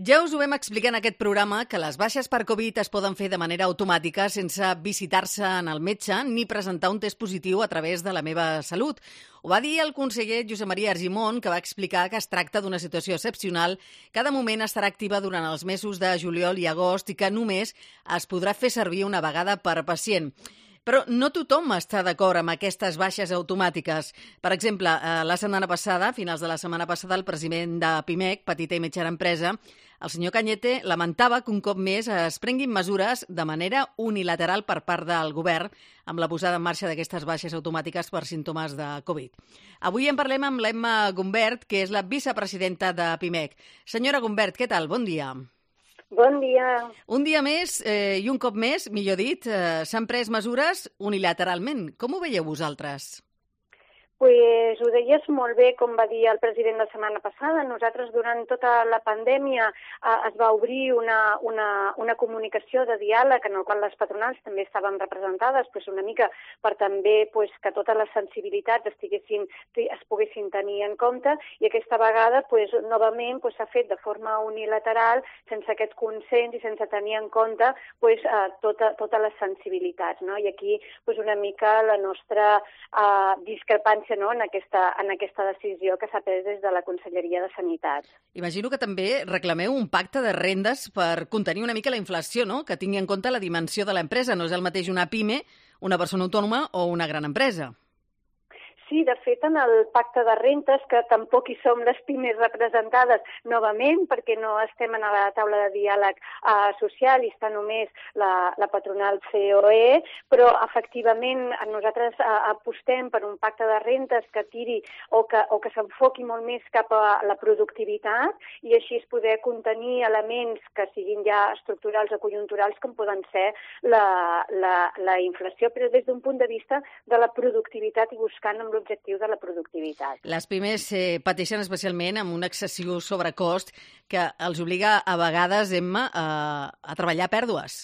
Ja us ho vam explicar en aquest programa que les baixes per Covid es poden fer de manera automàtica sense visitar-se en el metge ni presentar un test positiu a través de la meva salut. Ho va dir el conseller Josep Maria Argimon, que va explicar que es tracta d'una situació excepcional que de moment estarà activa durant els mesos de juliol i agost i que només es podrà fer servir una vegada per pacient. Però no tothom està d'acord amb aquestes baixes automàtiques. Per exemple, la setmana passada, a finals de la setmana passada, el president de PIMEC, Petita i Mitjana Empresa, el senyor Cañete, lamentava que un cop més es prenguin mesures de manera unilateral per part del govern amb la posada en marxa d'aquestes baixes automàtiques per símptomes de Covid. Avui en parlem amb l'Emma Gumbert, que és la vicepresidenta de PIMEC. Senyora Gumbert, què tal? Bon dia. Bon dia. Un dia més i un cop més, millor dit, s'han pres mesures unilateralment. Com ho veieu vosaltres? Pues ho deies molt bé, com va dir el president la setmana passada. Nosaltres, durant tota la pandèmia, es va obrir una comunicació de diàleg en el qual les patronals també estaven representades, pues una mica per també pues, que totes les sensibilitats es poguessin tenir en compte, i aquesta vegada pues, novament s'ha fet de forma unilateral, sense aquest consens i sense tenir en compte pues, totes les sensibilitats, no? I aquí pues, una mica la nostra discrepància, no, en aquesta decisió que s'ha pres des de la Conselleria de Sanitat. Imagino que també reclameu un pacte de rendes per contenir una mica la inflació, no? Que tingui en compte la dimensió de l'empresa. No és el mateix una PIME, una persona autònoma o una gran empresa. Sí, de fet, en el pacte de rentes, que tampoc hi som les pimes representades novament, perquè no estem en la taula de diàleg social i està només la patronal COE, però efectivament nosaltres apostem per un pacte de rentes que tiri o que s'enfoqui molt més cap a la productivitat i així es poder contenir elements que siguin ja estructurals o conjunturals com poden ser la inflació, però des d'un punt de vista de la productivitat i buscant amb l'objectiu de la productivitat. Les pimes pateixen especialment amb un excessiu sobrecost que els obliga a vegades, Emma, a treballar a pèrdues.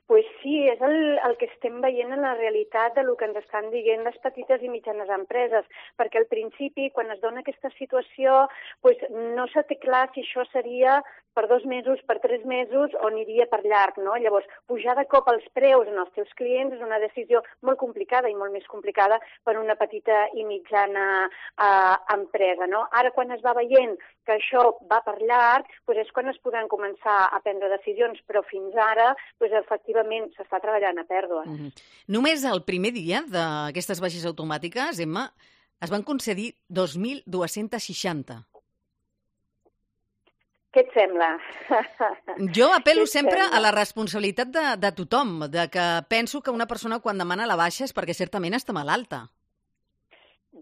Pues sí, és el que estem veient en la realitat de lo que ens estan dient les petites i mitjanes empreses, perquè al principi, quan es dona aquesta situació, pues no se té clar si això seria per 2 mesos, per 3 mesos o aniria per llarg, no? Llavors, pujar de cop els preus en els teus clients és una decisió molt complicada i molt més complicada per una petita i mitjana empresa, no? Ara, quan es va veient que això va per llarg, pues és quan es podran començar a prendre decisions, però fins ara, pues efectivament, s'està treballant a pèrdues. Només el primer dia d'aquestes baixes automàtiques, Emma, es van concedir 2.260. Què et sembla? Jo apel·lo sempre a la responsabilitat de tothom, de que penso que una persona quan demana la baixa és perquè certament està malalta.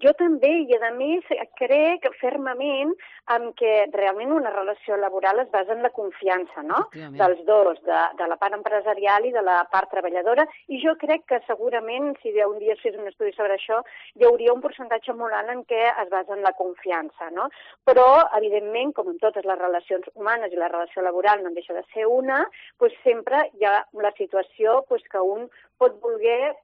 Jo també, i a més crec fermament en que realment una relació laboral es basa en la confiança, no? Dels dos, de la part empresarial i de la part treballadora, i jo crec que segurament, si un dia es fes un estudi sobre això, hi hauria un percentatge molt alt en què es basa en la confiança, no? Però, evidentment, com en totes les relacions humanes i la relació laboral no en deixa de ser una, doncs sempre hi ha la situació que un pot voler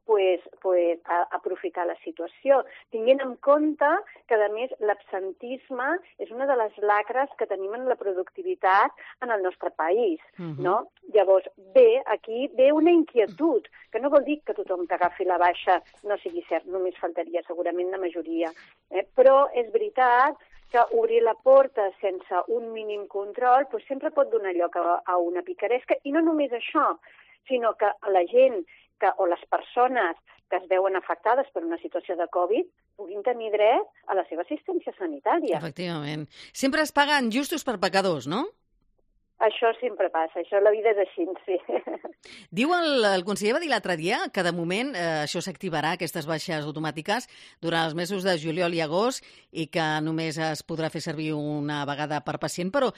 aprofitar la situació, tenint en compte que, a més, l'absentisme és una de les lacres que tenim en la productivitat en el nostre país, no? Llavors, aquí ve una inquietud, que no vol dir que tothom que agafi la baixa no sigui cert, només faltaria segurament la majoria, però és veritat que obrir la porta sense un mínim control sempre pot donar lloc a una picaresca, i no només això, sinó que la gent o les persones que es veuen afectades per una situació de Covid puguin tenir dret a la seva assistència sanitària. Efectivament. Sempre es paguen justos per pecadors, no? Això sempre passa, la vida és així, sí. Diu el conseller va dir l'altre dia que de moment això s'activarà, aquestes baixes automàtiques, durant els mesos de juliol i agost i que només es podrà fer servir una vegada per pacient, però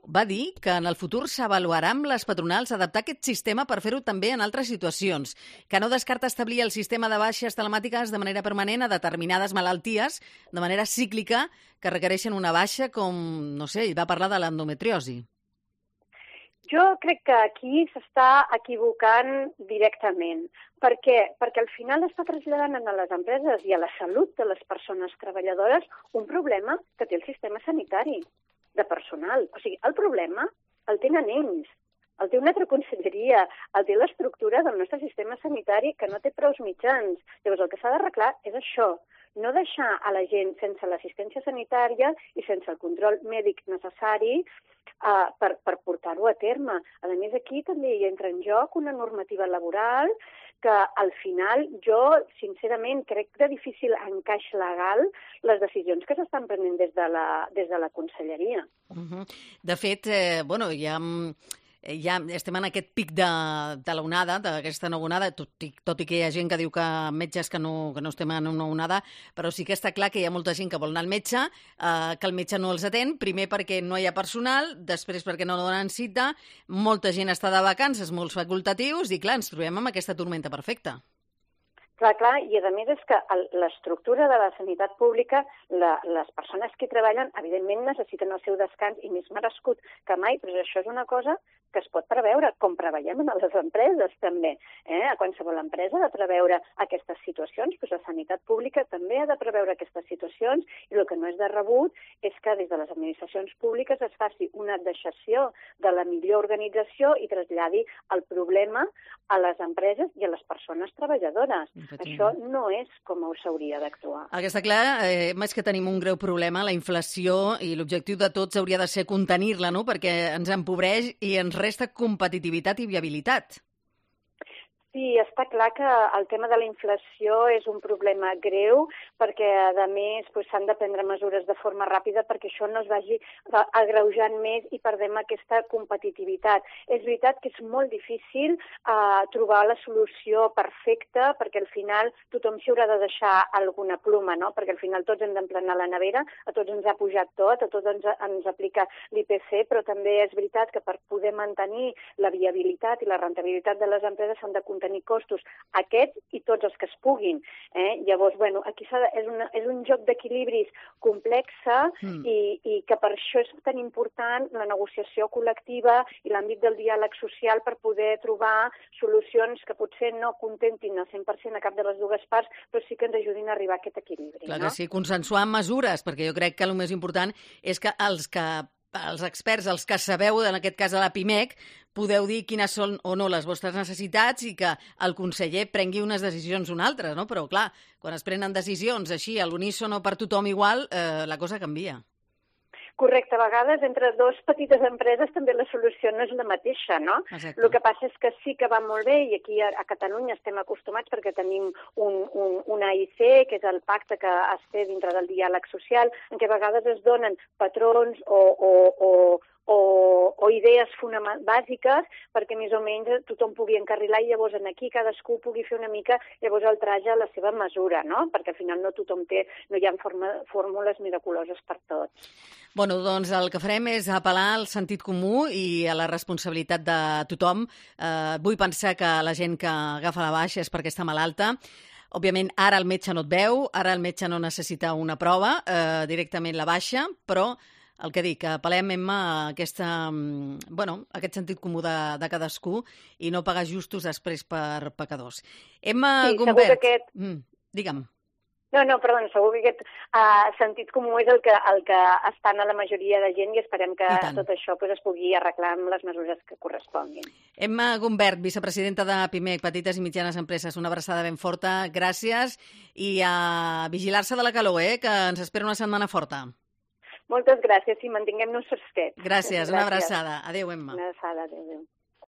va dir que en el futur s'avaluarà amb les patronals adaptar aquest sistema per fer-ho també en altres situacions, que no descarta establir el sistema de baixes telemàtiques de manera permanent a determinades malalties, de manera cíclica, que requereixen una baixa com, no sé, ell va parlar de l'endometriosi. Jo crec que aquí s'està equivocant directament. Per què? Perquè al final està traslladant a les empreses i a la salut de les persones treballadores un problema que té el sistema sanitari. de personal. O sigui, el problema el tenen ells. El té una altra conselleria, el té l'estructura del nostre sistema sanitari que no té prous mitjans. Llavors, el que s'ha d'arreglar és això, no deixar a la gent sense l'assistència sanitària i sense el control mèdic necessari per portar-ho a terme. A més, aquí també hi entra en joc una normativa laboral que al final jo, sincerament, crec de difícil encaix legal les decisions que s'estan prenent des de la conselleria. De fet, ja estem en aquest pic de l'onada, d'aquesta nova onada, tot i que hi ha gent que diu que metges que no estem en una onada, però sí que està clar que hi ha molta gent que vol anar al metge, que el metge no els atén, primer perquè no hi ha personal, després perquè no donen cita, molta gent està de vacances, molts facultatius, i clar, ens trobem amb aquesta tormenta perfecta. Clar, i a més és que l'estructura de la sanitat pública, les persones que hi treballen, evidentment necessiten el seu descans i més merescut que mai, però això és una cosa que es pot preveure, com preveiem en les empreses també. A qualsevol empresa ha de preveure aquestes situacions, doncs la sanitat pública també ha de preveure aquestes situacions, i el que no és de rebut és que des de les administracions públiques es faci una deixació de la millor organització i traslladi el problema a les empreses i a les persones treballadores. Això no és com s'hauria d'actuar. El que està clar és que tenim un greu problema, la inflació, i l'objectiu de tots hauria de ser contenir-la, no? Perquè ens empobreix i ens resta competitivitat i viabilitat. Sí, està clar que el tema de la inflació és un problema greu perquè, a més, s'han de prendre mesures de forma ràpida perquè això no es vagi agreujant més i perdem aquesta competitivitat. És veritat que és molt difícil trobar la solució perfecta perquè al final tothom s'hi haurà de deixar alguna ploma, no? Perquè al final tots hem d'emplenar la nevera, a tots ens ha pujat tot, a tots ens aplica l'IPC, però també és veritat que per poder mantenir la viabilitat i la rentabilitat de les empreses s'han de tenir costos aquests i tots els que es puguin. Llavors, aquí és un joc d'equilibris complex i que per això és tan important la negociació col·lectiva i l'àmbit del diàleg social per poder trobar solucions que potser no contentin al 100% a cap de les dues parts, però sí que ens ajudin a arribar a aquest equilibri. Clar que sí, consensuar mesures, perquè jo crec que el més important és que els experts, els que sabeu, en aquest cas a la PIMEC, podeu dir quines són o no les vostres necessitats i que el conseller prengui unes decisions o unes altres, no? Però, clar, quan es prenen decisions així, a l'unísono per tothom igual, la cosa canvia. Correcte, a vegades entre dues petites empreses també la solució no és la mateixa, no? Exacte. El que passa és que sí que va molt bé i aquí a Catalunya estem acostumats perquè tenim un AIC, que és el pacte que es té dintre del diàleg social, en què a vegades es donen patrons o idees bàsiques perquè més o menys tothom pugui encarrilar i llavors aquí cadascú pugui fer una mica llavors el traje a la seva mesura, no? Perquè al final no tothom no hi ha fórmules miraculoses per tots. Bueno, doncs el que farem és apel·lar al sentit comú i a la responsabilitat de tothom. Vull pensar que la gent que agafa la baixa és perquè està malalta. Òbviament, ara el metge no et veu, ara el metge no necessita una prova, directament la baixa, però el que dic, apel·lem, Emma, a aquest sentit comú de cadascú i no pagar justos després per pecadors. Emma Gumbert... Digue'm. No, perdona, segur que aquest sentit comú és el que està en la majoria de gent i esperem que tot això es pugui arreglar amb les mesures que corresponguin. Emma Gumbert, vicepresidenta de PIMEC, Petites i Mitjanes Empreses, una abraçada ben forta, gràcies, i a vigilar-se de la calor, que ens espera una setmana forta. Moltes gràcies i mantinguem-nos fresquets. Gràcies, una abraçada. Adéu, Emma. Una abraçada, adéu.